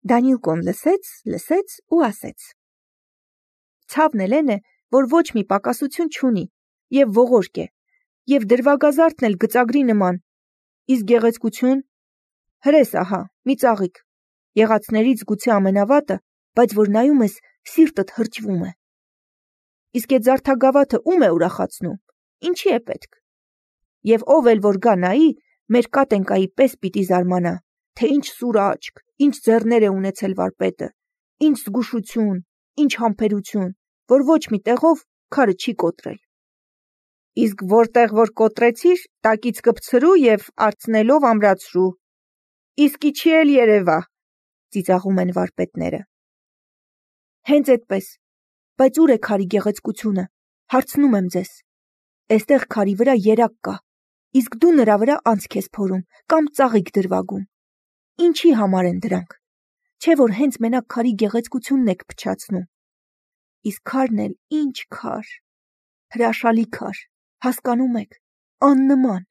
Դանիլկոն լսեց ու ասեց. Ցավն էլ է, որ ոչ մի պակասություն չունի, եւ ողորկ է, եւ դրվագազարդն էլ գծագրի նման, իսկ գեղեցկություն, հրես ահա, մի ծաղիկ, եղածներից գուցե ամենավատը, բայց որ նայում ես, սիրտդ հրճվում է։ Իսկ այդ զարդագավաթը ում է ուրախացնում, ինչի է պետք։ Եվ ով էլ որ գա նայի, մեր կատենկայի պես պիտի զարմանա, թե ինչ սուր աչք, ինչ ձեռներ է ունեցել վարպետը, ինչ զգուշություն, ինչ համբերություն, որ ոչ մի տեղով քարը չի կոտրել։ Իսկ որտեղ որ կոտրեցիր, տակից կպցրու եւ արցնելով ամրացրու։ Իսկի չի էլ երևա, ծիծաղում են վարպետները։ Հենց այդպես, բայց ուր է քարի գեղեցկությունը, հարցնում եմ ձեզ։ Այստեղ քարի վրա երակ կա, իսկ դու նրա վրա անցք ես փորում կամ ծաղիկ դրվագում։ Ինչի համար են դրանք։ Չէ որ հենց մենակ քարի գեղեցկությունն եք փչացնում։ Իսկ քարն էլ ինչ քար, հրաշալի քար, հասկանում եք, աննման։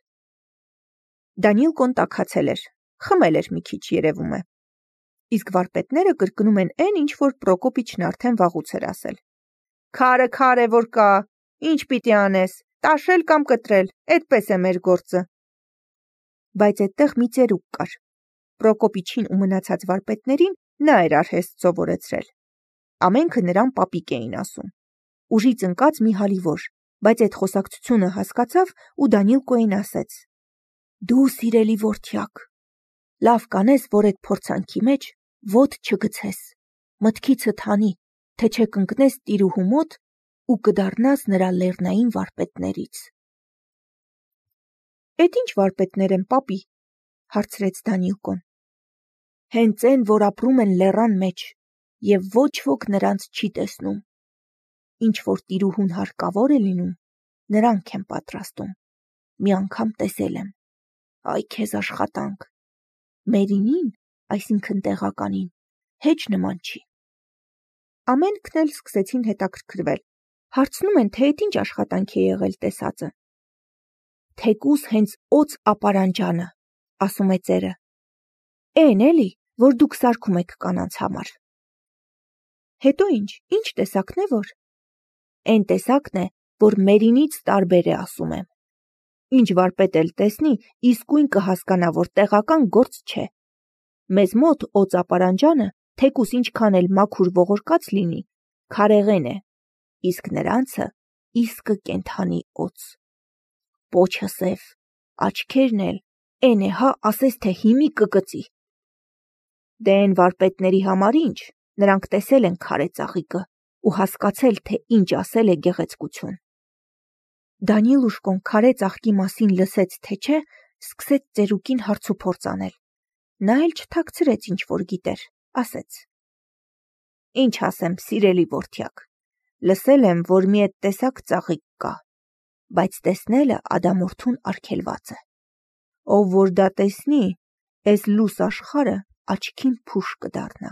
Դանիլկոն տաքացել էր, խմել էր մի քիչ երևում է։ Իսկ վարպետները կրկնում են այն, ինչ որ Պրոկոպիչն արդեն վաղուց էր ասել։ Քարը քար է որ կա, ինչ պիտի անես, տաշել կամ կտրել, այդպես է մեր գործը։ Բայց այդտեղ մի ծերուկ կար։ Պրոկոպիչին ու մնացած վարպետներին նա էր արհեստ սովորեցրել։ Ամենքը նրան պապիկ էին ասում։ Ուժից ընկած մի հալիվոր, բայց այդ խոսակցությունը հասկացավ ու Դանիլկոին ասեց. Դու սիրելի որդյակ, լավ կանես, որ այդ փորձանքի մեջ ոտ չգցես, մտքիցդ հանի, թե չէ կընկնես տիրուհու մոտ ու կդառնաս նրա լեռնային վարպետներից։ Էդ ինչ վարպետներ են, պապի, հարցրեց Դանիլկոն։ Հենց այն, որ ապրում են լեռան մեջ, եւ ոչ ոք նրանց չի տեսնում։ Ինչ որ տիրուհուն հարկավոր է լինում, նրանք են պատրաստում։ Մի անգամ տեսել եմ։ Այ քեզ աշխատանք։ Մերինին, այսինքն տեղականին, հեչ նման չի։ Ամենքն էլ սկսեցին հետաքրքրվել։ Հարցնում են, թե այդ ինչ աշխատանք է եղել տեսածը։ Թեկուս հենց օծ ապարանջանը, ասում է ծերը։ Էն էլի, որ դուք սարքում եք կանանց համար։ Հետո ինչ տեսակն է որ։ Այն տեսակն է, որ մերինից տարբեր է, ասում եմ։ Ինչ վարպետ էլ տեսնի, իսկույն կհասկանա, որ տեղական գործ չէ։ Մեզ մոտ օծ ապարանջանը, թեկուս ինչքան էլ մաքուր ողորկած լինի, քարեղեն է, իսկ նրանցը իսկը կենդանի օծ։ Պոչը սև, աչքերն էլ, էն է հա ասես թե հիմի կկծի։ Դե են վարպետների համար ինչ, նրանք տեսել են քարե ծաղիկը ու հասկացել, թե ինչ ասել է գեղեցկություն։ Դանիլուշկոն քարե ծաղկի մասին լսեց, թե չէ, սկսեց ծերուկին հարցուփորձ անել։ Նա էլ չթաքցրեց ինչ որ գիտեր, ասեց. Ինչ ասեմ, սիրելի որդյակ, լսել եմ, որ մի այդ տեսակ ծաղիկ կա, բայց տեսնելը ադամորդուն արգելված է։ Ով որ դա տեսնի, այս լուս աշխարհը աչքին փուշ կդառնա։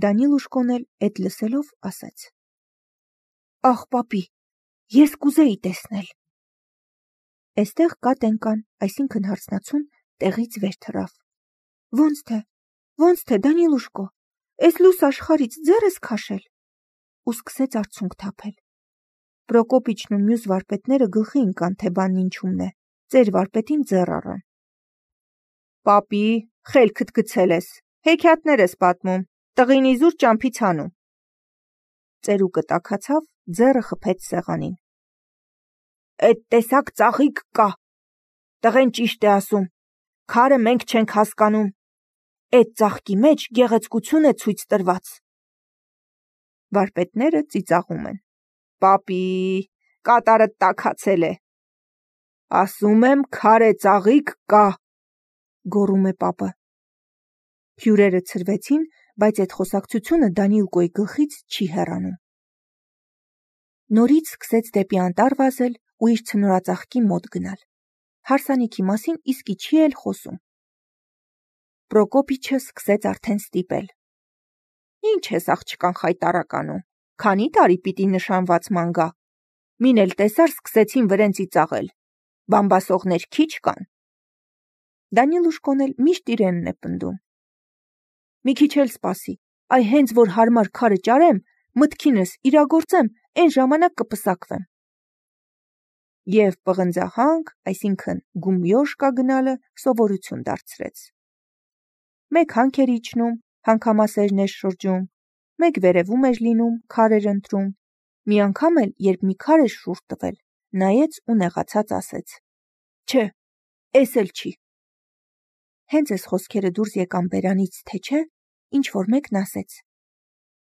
Դանիլուշկոն էլ այդ լսելով ասեց. Ախ, պապի, ես կուզեի տեսնել։ Այստեղ կատենկան, այսինքն հարցնացուն, տեղից վեր թռավ։ Ոնց թե, Դանիլուշկո, այս լուս աշխարից ձեռ ես քաշել։ Ու սկսեց արցունք թափել։ Պրոկոպիչն ու մյուս վարպետները գլխի ընկան, թե բանն ինչումն է, ծեր վարպետին ձեռ առան։ Պապի, խելքդ գցել ես, հեքիաթներ ես պատմում, տղին իզուր ճամփից հանում։ Ծերուկը տաքացավ, ձեռը խփեց սեղանին։ Այդ տեսակ ծաղիկ կա։ Տղեն ճիշտ է ասում, քարը մենք չենք հասկանում։ Այդ ծաղկի մեջ գեղեցկություն է ցույց տրված։ Վարպետները ծիծաղում են։ Պապի, կատարը տաքացել է։ Ասում եմ, քարե ծաղիկ կա, գոռում է պապը։ Հյուրերը ցրվեցին, բայց այդ խոսակցությունը Դանիլկոյի գլխից չի հեռանում։ Նորից սկսեց դեպի անտառ վազել ու իր ցնորածաղկի մոտ գնալ։ Հարսանիքի մասին իսկի չի էլ խոսում։ Պրոկոպիչը սկսեց արդեն ստիպել։ Ինչ ես աղջկան խայտարականում, քանի տարի պիտի նշանված ման գա։ Մին էլ տեսար սկսեցին վրեն ծիծաղել։ Բամբասողներ քիչ կան։ Դանիլուշկոն էլ միշտ իրենն է պնդում։ մի քիչ էլ սպասի, այ հենց որ հարմար քարը ճարեմ, մտքինս իրագործեմ, այն ժամանակ կպսակվեմ։ Եվ պղնձահանք, այսինքն գումյոշկա գնալը սովորություն դարձրեց։ Մեկ հանք էր իջնում, հանքամասերն էր շրջում, մեկ վերևում էր լինում, քար էր ընտրում, մի անգամ էլ, երբ մի քար էր շուռ տվել, նայեց ու նեղացած ասեց. «Չէ, էս էլ չի»։ Հենց այս խոսքերը դուրս եկան բերանից, թե չէ, ինչ-որ մեկն ասեց.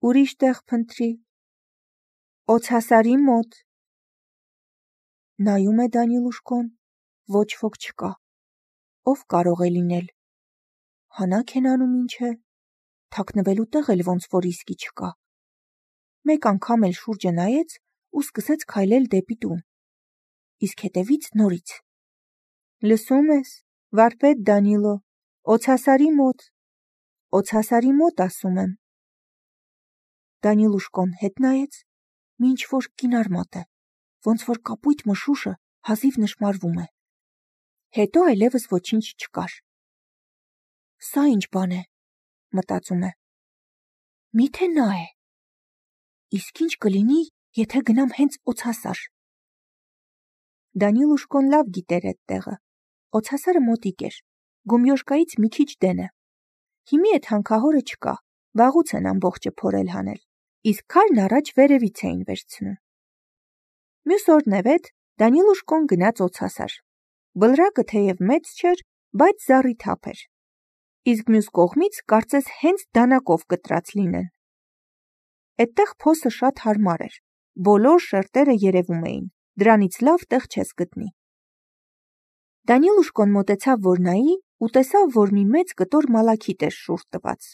«Ուրիշ տեղ փնտրի, օձասարի մոտ»։ Նայում է Դանիլուշկոն, ոչ ոք չկա, ով կարող է լինել, հանաք են անում ինչ է, թաքնվելու տեղ էլ ոնց որ իսկի չկա։ Մեկ անգամ էլ շուրջը նայեց ու սկսեց քայլել դեպի տուն, իսկ հետևից նորից. «Լսում ես, վարպետ Դանիլո, օձասարի մոտ ասում եմ»։ Դանիլուշկոն հետ նայեց, մի ինչ-որ կինար մոտ է, ոնց որ կապույտ մշուշը հազիվ նշմարվում է։ Հետո այլևս ոչինչ չկար։ Սա ինչ բան է, մտածում է։ Միթե նա է։ Իսկ ինչ կլինի, եթե գնամ հենց օձասար։ Դանիլուշկոն լավ գիտեր այդ տեղը։ Օձասարը մոտիկ էր, գումյոշկայից մի քիչ դեն է։ Հիմի այդ հանքահորը չկա, վաղուց են ամբողջը փորել հանել, իսկ քարն առաջ վերևից էին վերցնում։ Մյուս օրն էվետ Դանիլուշկոն գնաց օձասար։ Բլրակը թեև մեծ չէր, բայց զառիթափ էր։ Իսկ մյուս կողմից կարծես հենց դանակով կտրած լինեն։ Այդտեղ փոսը շատ հարմար էր, բոլոր շերտերը երևում էին, դրանից լավ տեղ չես գտնի։ Դանիլուշկոն մոտեցավ, որ նայի ու տեսավ, որ մի մեծ կտոր մալաքիտ էր շուռ տված։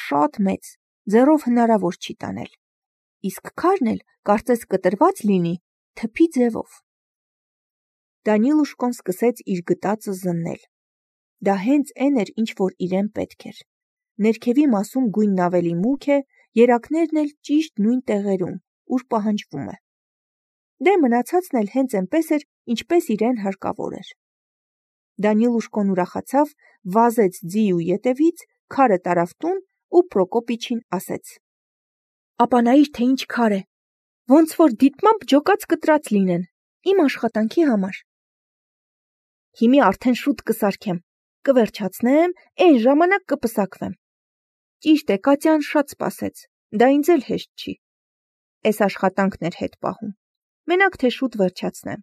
Շատ մեծ, ձեռով հնարավոր չի տանել։ Իսկ քարն էլ կարծես կտրված լինի թփի ձևով։ Դանիլուշկոն սկսեց իր գտածը զննել։ Դա հենց այն էր, ինչ որ իրեն պետք էր։ Ներքևի մասում գույնն ավելի մուգ է, երակներն էլ ճիշտ նույն տեղերում, ուր պահանջվում է։ Դե մնացածն էլ հենց այնպես էր, ինչպես իրեն հարկավոր էր։ Դանիլուշկոն ուրախացավ, վազեց ձի ու ետևից, քարը տարավ տուն ու Պրոկոպիչին ասեց. «Ապանայիր, թե ինչ քար է, ոնց որ դիտմամբ ջոկած կտրած լինեն, իմ աշխատանքի համար։ Հիմի արդեն շուտ կսարքեմ, կվերջացնեմ, այն ժամանակ կպսակվեմ։ Ճիշտ է, Կատյան շատ սպասեց, դա ինձ էլ հեշտ չի։ Էս աշխատանքն էր հետ պահում, մենակ թե շուտ վերջացնեմ»։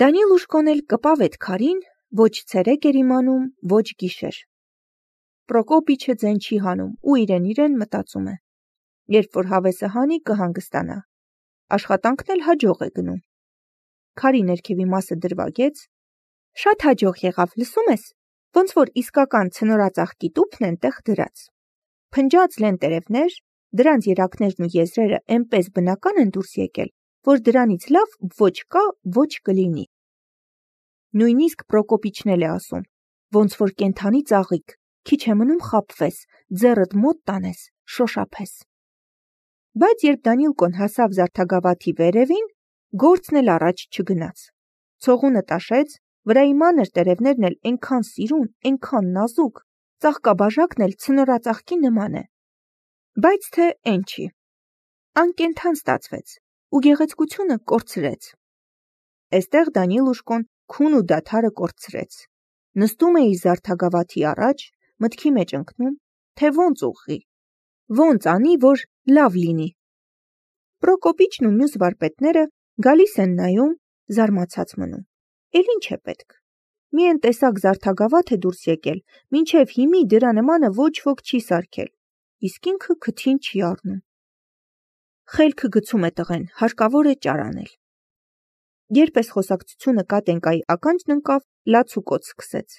Դանիլուշկոն էլ կպավ այդ քարին, ոչ ցերեկ էր իմանում, ոչ գիշեր։ Պրոկոպիչը ձեն չի հանում ու իրեն մտածում է. երբ որ հավեսը հանի, կհանգստանա։ Աշխատանքն էլ հաջող է գնում։ Քարի ներքևի մասը դրվագեց։ Շատ հաջող եղավ, լսում ես, ոնց որ իսկական ցնորածաղկի տուփն ենտեղ դրած։ Փնջած լեն տերևներ, դրանց երակներն ու եզրերը այնպես բնական են դուրս եկել, որ դրանից լավ ոչ կա, ոչ կլինի։ Նույնիսկ Պրոկոպիչն էլ է ասում, ոնց որ կենդանի ծաղիկ, քիչ է մնում խաբվես, ձեռդ մոտ տանես, շոշափես։ Բայց երբ Դանիլկոն հասավ զարդագավաթի վերևին, գործն էլ առաջ չգնաց։ Ցողունը տաշեց, վրայի մանր տերևներն էլ այնքան սիրուն, այնքան նազուկ, ծաղկաբաժակն էլ ցնորածաղկի նման է։ Բայց թե այն չի։ Անկենդան ստացվեց ու գեղեցկությունը կորցրեց։ Այստեղ Դանիլուշկոն քուն ու դադարը կորցրեց։ Նստում է իր զարդագավաթի առաջ, մտքի մեջ ընկնում, թե ոնց ուղղի, ոնց անի, որ լավ լինի։ Պրոկոպիչն ու մյուս վարպետները գալիս են նայում, զարմացած մնում։ Էլ ինչ է պետք։ Մի են տեսակ զարդագավաթ է դուրս եկել, մինչև հիմի դրա նմանը ոչ ոք չի սարքել, իսկ ինքը քթին չի առնում։ Խելքը գցում է տղեն, հարկավոր է ճարանել։ Երբ այս խոսակցությունը Կատենկայի ականջն ընկավ, լացուկոց սկսեց։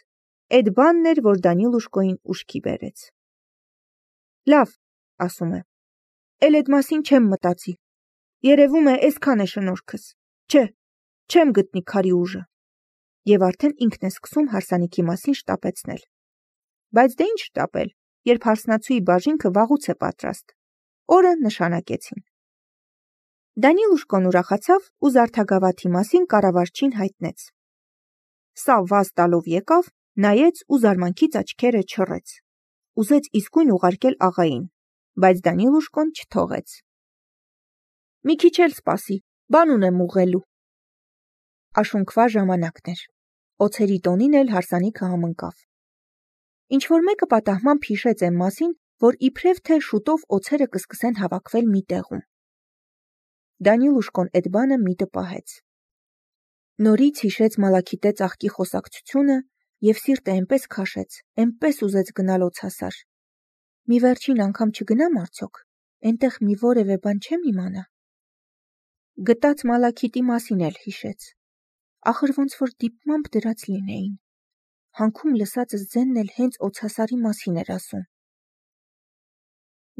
Այդ բանն էր, որ Դանիլուշկոին ուշքի բերեց։ Լավ, ասում է, էլ այդ մասին չեմ մտածի։ Երևում է այսքան է շնորհքս։ Չէ, չեմ գտնի քարի ուժը։ Եվ արդեն ինքն է սկսում հարսանիքի մասին շտապեցնել։ Բայց դե ինչ շտապել, երբ հարսնացուի բաժինքը վաղուց է պատրաստ։ Օրը նշանակեցին։ Դանիլուշկոն ուրախացավ ու զարդագավաթի մասին կառավարչին հայտնեց։ Սա վազ տալով եկավ, նայեց ու զարմանքից աչքերը չռեց։ ուզեց իսկույն ուղարկել աղային, բայց Դանիլուշկոն չթողեց։ Մի քիչ էլ սպասի, բան ունեմ ուղղելու։ Աշունքվա ժամանակն էր։ Օձերի տոնին էլ հարսանիքը համընկավ։ Ինչ-որ մեկը պատահմամբ հիշեց այն մասին, որ իբրև թե շուտով օձերը կսկսեն հավաքվել մի տեղում։ Դանիլուշկոն էդ բանը միտը պահեց։ Նորից հիշեց Մալաքիթե ծաղկի խոսակցությունը և սիրտը այնպես քաշեց, այնպես ուզեց գնալ օձասար։ Մի վերջին անգամ չգնամ արդյոք, այնտեղ մի որևէ բան չեմ իմանա։ Գտած Մալաքիթի մասին էլ հիշեց։ Ախր ոնց որ դիպմամբ դրած լինեին։ Հանքում լսածս ձենն էլ հենց օձասարի մասին էր ասում։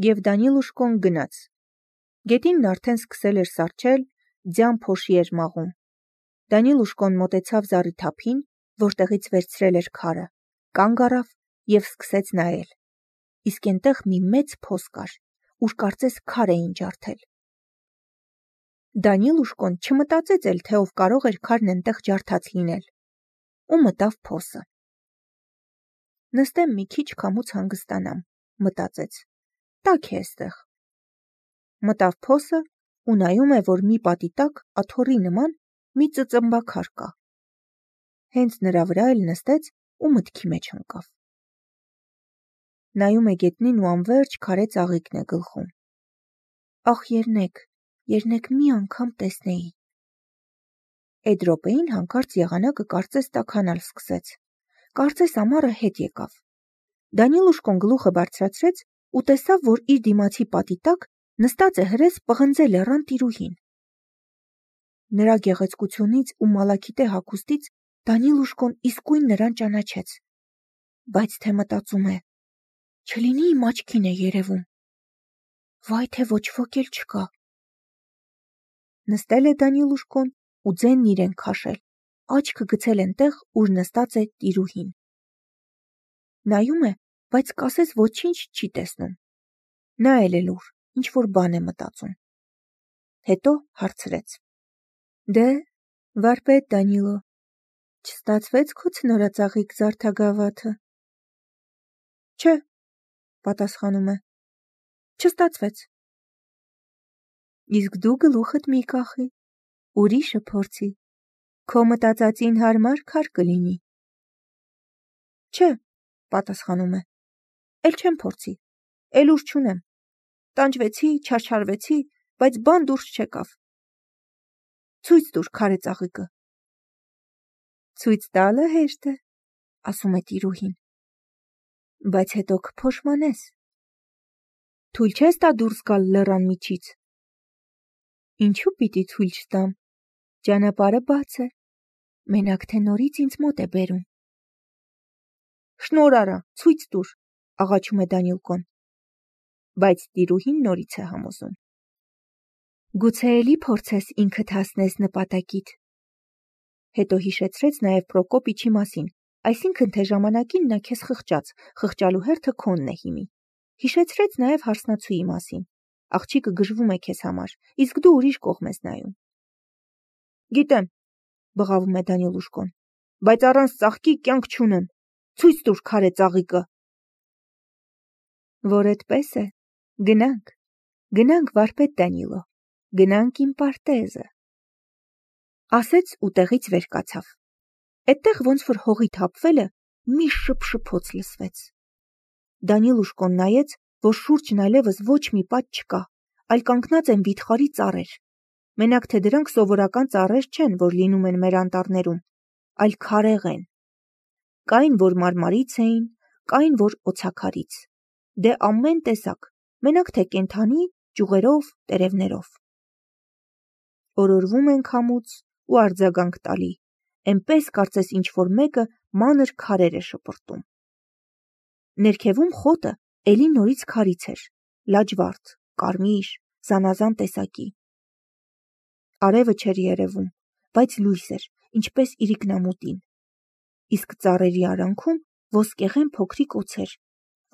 Եվ Դանիլուշկոն գնաց։ Գետինն արդեն սկսել էր սառչել, ձյան փոշի էր մաղում։ Դանիլուշկոն մոտեցավ զառիթափին, որտեղից վերցրել էր քարը, կանգ առավ և սկսեց նայել։ Իսկ այնտեղ մի մեծ փոս կար, ուր կարծես քար էին ջարդել։ Դանիլուշկոն չմտածեց էլ, թե ով կարող էր քարն այնտեղ ջարդած լինել, ու մտավ փոսը։ Նստեմ մի քիչ քամուց հանգստանամ, մտածեց, տաք է էստեղ։ Մտավ փոսը ու նայում է, որ մի պատի տակ աթոռի նման մի ծծմբաքար կա։ Հենց նրա վրա էլ նստեց ու մտքի մեջ ընկավ։ Նայում է գետնին ու անվերջ քարե ծաղիկն է գլխում։ Ախ երնեք մի անգամ տեսնեի։ Էդ րոպեին հանկարծ եղանակը կարծես տաքանալ սկսեց։ Կարծես ամառը հետ եկավ։ Դանիլուշկոն գլուխը բարձրացրեց ու տեսավ, որ իր դիմացի պատի տակ նստած է հրես պղնձե լեռան տիրուհին։ Նրա գեղեցկությունից ու Մալաքիթե հագուստից Դանիլուշկոն իսկույն նրան ճանաչեց։ Բայց թե մտածում է, չլինի իմ աչքին է երևում։ Վայ թե ոչ ոք էլ չկա։ Նստել է Դանիլուշկոն ու ձենն իրեն քաշել, աչքը գցել այնտեղ, ուր նստած է տիրուհին։ Նայում է, բայց կասես ոչինչ չի տեսնում։ Նա էլ ուր, ինչ-որ բան է մտածում։ Հետո հարցրեց. Դե, վարպետ Դանիլո, չստացվեց քո ցնորածաղիկ զարդագավաթը։ Չէ, պատասխանում է, չստացվեց։ Իսկ դու գլուխդ մի կախի, ուրիշը փորձի, քո մտածածին հարմար քար կլինի։ Չէ, պատասխանում է, էլ չեմ փորձի, էլ ուր չունեմ, տանջվեցի, չարչարվեցի, բայց բան դուրս չեկավ։ Ցույց տուր քարե ծաղիկը։ Ցույց տալը հեշտ է, ասում է տիրուհին, բայց հետո կփոշմանես։ Թույլ չես տա դուրս գալ լեռան միջից։ Ինչու պիտի թույլ չտամ, ճանապարհը բաց է, մենակ թե նորից ինձ մոտ է բերում։ Շնոր արա, ցույց տուր, աղաչում է Դանիլկոն, բայց տիրուհին նորից է համոզում։ Գուցե էլի փորձես ինքդ հասնես նպատակիդ։ Հետո հիշեցրեց նաև Պրոկոպիչի մասին, այսինքն թե ժամանակին նա քեզ խղճաց, խղճալու հերթը քոնն է հիմի։ Հիշեցրեց նաև հարսնացուի մասին։ Աղջիկը գժվում է քեզ համար, իսկ դու ուրիշ կողմ ես նայում։ Գիտեմ, բղավում է Դանիլուշկոն, բայց առանց ծաղկի կյանք չունեմ։ Ցույց տուր քարե ծաղիկը։ Որ այդպես է, գնանք վարպետ Դանիլո, գնանք իմ պարտեզը։ Ասեց ու տեղից վեր կացավ։ Այդտեղ ոնց որ հողի թափվելը մի շփշփոց լսվեց։ Դանիլուշկոն նայեց, որ շուրջն այլևս ոչ մի պատ չկա, այլ կանգնած են վիթխարի ծառեր։ Մենակ թե դրանք սովորական ծառեր չեն, որ լինում են մեր անտառներում, այլ քարեղ են։ Կային, որ մարմարից էին, կային, որ օձաքարից։ Դե ամեն տեսակ, մենակ թե կենդանի, ճյուղերով, տերևներով։ Օրորվում են քամուց ու արձագանք տալի, այնպես կարծես ինչ-որ մեկը մանր քարեր է շպրտում։ Ներքևում խոտը էլի նորից քարից էր, լաջվարդ, կարմիր, զանազան տեսակի։ Արևը չէր երևում, բայց լույս էր, ինչպես իրիկնամուտին։ Իսկ ծառերի արանքում ոսկեղեն փոքրիկ օձեր,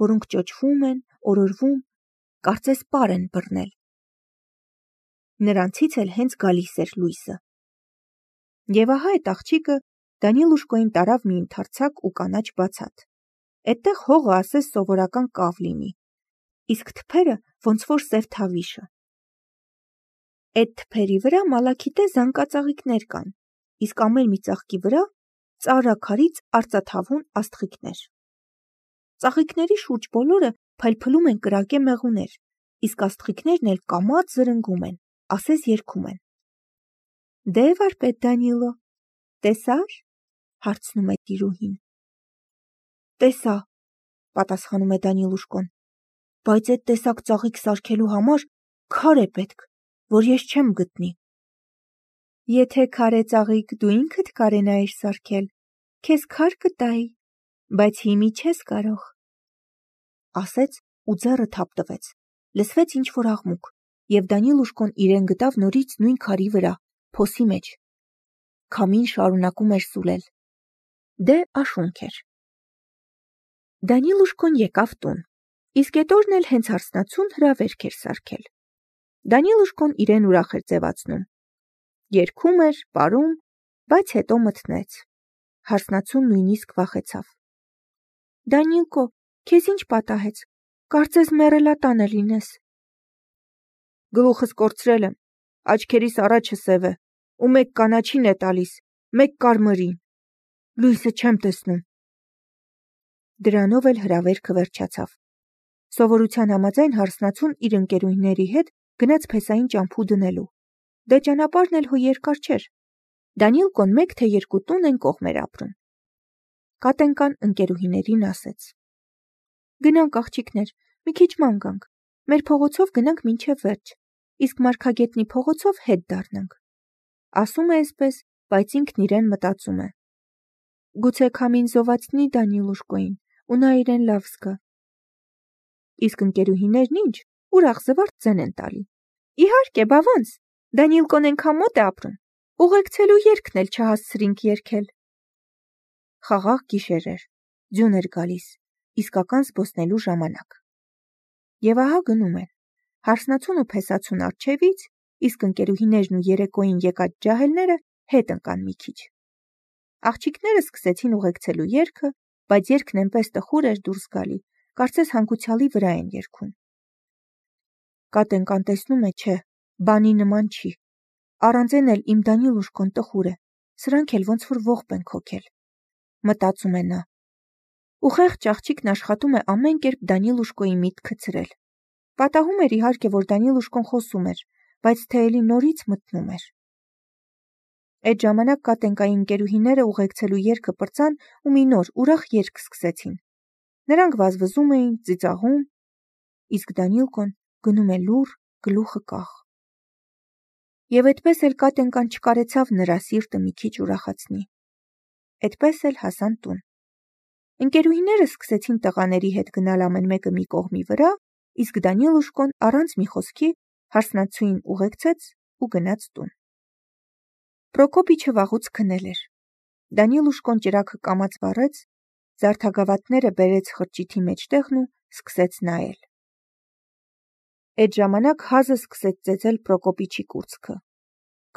որոնք ճոճվում են, օրորվում, կարծես պար են բռնել։ Նրանցից էլ հենց գալիս էր լույսը։ Եվ ահա այդ աղջիկը Դանիլուշկոին տարավ մի ընդարձակ ու կանաչ բացատ։ Էդտեղ հողը ասես սովորական կավ լինի, իսկ թփերը ոնց որ սև թավիշը։ Այդ թփերի վրա մալաքիտե զանգածաղիկներ կան, իսկ ամեն մի ծաղկի վրա ծառաքարից արծաթավուն աստղիկներ։ Ծաղիկների շուրջ բոլորը փայլփլում են կրակե մեղուներ, իսկ աստղիկներն էլ կամաց զրնգում են, ասես երգում են։ Դե վարպետ Դանիլո, տեսա՞ր, հարցնում է տիրուհին։ Տեսա, պատասխանում է Դանիլուշկոն, բայց այդ տեսակ ծաղիկ սարքելու համար քար է պետք, որ ես չեմ գտնի։ Եթե քարե ծաղիկ դու ինքդ կարենայիր սարքել, քեզ քար կտայի, բայց հիմի չես կարող։ Ասեց ու ձեռը թափ տվեց, լսվեց ինչ-որ աղմուկ, և Դանիլուշկոն իրեն գտավ նորից նույն քարի վրա, փոսի մեջ։ Քամին շարունակում էր սուլել։ Դե աշունք էր։ Դանիլուշկոն եկավ տուն, իսկ էդ օրն էլ հենց հարսնացուն հրավերք էր սարքել։ Դանիլուշկոն իրեն ուրախ էր ձևացնում։ Երգում էր, պարում, բայց հետո մթնեց։ Հարսնացուն նույնիսկ վախեցավ։ Դանիլկո, քեզ ինչ պատահեց, կարծես մեռելատանը լինես։ Գլուխս կորցրել եմ, աչքերիս առաջը սև է, ու մեկ կանաչին է տալիս, մեկ կարմրին, լույսը չեմ տեսնում։ Դրանով էլ հրավերքը վերջացավ։ Սովորության համաձայն հարսնացուն իր ընկերուհիների հետ գնաց փեսային ճամփու դնելու։ Դե ճանապարհն էլ հո երկար չէր։ Դանիլկոն 1 թե 2 տուն են կողմ էր ապրում։ Կատենկան ընկերուհիներին ասեց. Գնանք աղջիկներ, մի քիչ ման գանք, մեր փողոցով գնանք մինչև վերջ, իսկ Մարգագետնի փողոցով հետ դառնանք։ Ասում է այսպես, բայց ինքն իրեն մտածում է. Գուցե քամին զովացնի Դանիլուշկոին, ու նա իրեն լավ զգա։ Իսկ ընկերուհիներն ինչ, ուրախ զվարթ ձեն են տալի։ Իհարկե, բա ոնց, Դանիլկոն ենքան մոտ է ապրում, ուղեկցելու երգն էլ չհասցրինք երգել։ Խաղաղ գիշեր էր, ձյուն էր գալիս, իսկական զբոսնելու ժամանակ։ Եվ ահա գնում են, հարսնացուն ու փեսացուն առջևից, իսկ ընկերուհիներն ու երեկոյին եկած ջահելները հետ ընկան մի քիչ։ Աղջիկները սկսեցին ուղեկցելու երգը, բայց երգն այնպես տխուր էր դուրս գալի, կարծես հանգուցյալի վրա են երգում։ Կատենկան տեսնում է, չէ, բանի նման չի։ Առանց էլ իմ Դանիլուշկոն տխուր է, սրանք էլ ոնց որ ողբ են քոքել։ Մտածում է նա։ Ու խեղճ աղջիկն աշխատում է ամեն կերպ Դանիլուշկոյի միտքը ցրել։ Պատահում էր իհարկե, որ Դանիլուշկոն խոսում էր, բայց թե էլի նորից մտնում էր։ Այդ ժամանակ Կատենկայի ընկերուհիները ուղեկցելու երգը պրծան ու մի նոր ուրախ երգ սկսեցին։ Նրանք վազվզում էին, ծիծաղում, իսկ Դանիլկոն գնում է լուռ, գլուխը կախ։ Եվ այդպես էլ Կատենկան չկարեցավ նրա սիրտը մի քիչ ուրախացնի։ Այդպես էլ հասան տուն։ Ընկերուհիները սկսեցին տղաների հետ գնալ ամեն մեկը մի կողմի վրա, իսկ Դանիլուշկոն առանց մի խոսքի հարսնացուին ուղեկցեց ու գնաց տուն։ Պրոկոպիչը վաղուց քնել էր։ Դանիլուշկոն ճրագը կամաց վառեց, զարդագավաթները բերեց խրճիթի մեջտեղն ու սկսեց նայել։ Այդ ժամանակ հազը սկսեց ծեծել Պրոկոպիչի կուրծքը։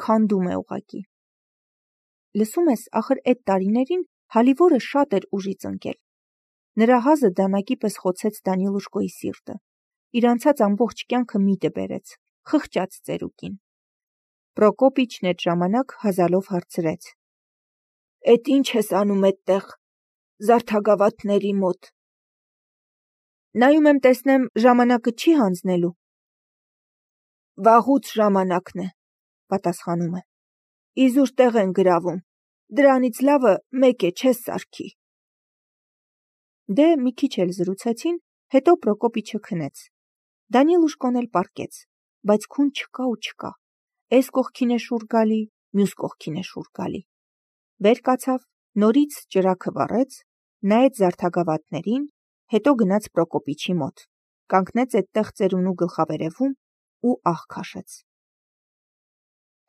Քանդում է ուղակի։ Լսում ես, ախր այդ տարիներին հալիվորը շատ էր ուժից ընկել։ Նրա հազը դանակի պես խոցեց Դանիլուշկոյի սիրտը։ Իր անցած ամբողջ կյանքը միտը բերեց, խղճաց ծերուկին։ Պրոկոպիչն այդ ժամանակ հազալով հարցրեց. Էդ ինչ ես անում այդտեղ, զարդագավաթների մոտ։ Նայում եմ տեսնեմ ժամանակը չի հանձնելու։ Վաղուց ժամանակն է, պատասխանում է։ Իզուր տեղ են գրավում, դրանից լավը մեկ է չես սարքի։ Դե մի քիչ էլ զրուցեցին, հետո Պրոկոպիչը քնեց։ Դանիլուշկոն էլ պառկեց, բայց քուն չկա ու չկա։ Էս կողքին է շուռ գալի, մյուս կողքին է շուռ գալի։ Վեր կացավ, նորից ճրագը վառեց, նայեց զարդագավաթներին, հետո գնաց Պրոկոպիչի մոտ, կանգնեց այդտեղ ծերունու գլխավերևում ու ահ քաշեց։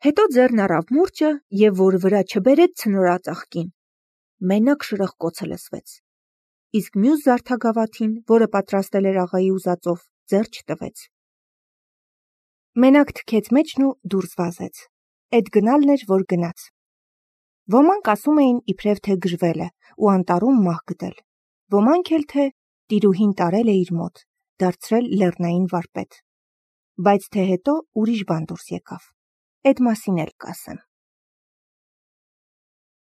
Հետո ձեռն առավ մուրճը և որ վրա չբերեց ցնորածաղկին, մենակ շրխկոցը լսվեց։ Իսկ մյուս զարդագավաթին, որը պատրաստել էր աղայի ուզածով, ձեռ չտվեց։ Մենակ թքեց մեջն ու դուրս վազեց։ Էդ գնալն էր, որ գնաց։ Ոմանք ասում էին իբրև թե գժվել է ու անտառում մահ գտել, Ոմանք էլ թե տիրուհին տարել է իր մոտ, դարձրել լեռնային վարպետ։ Բայց թե հետո ուրիշ բան դուրս եկավ։ Էդ մասին էլ կասեմ։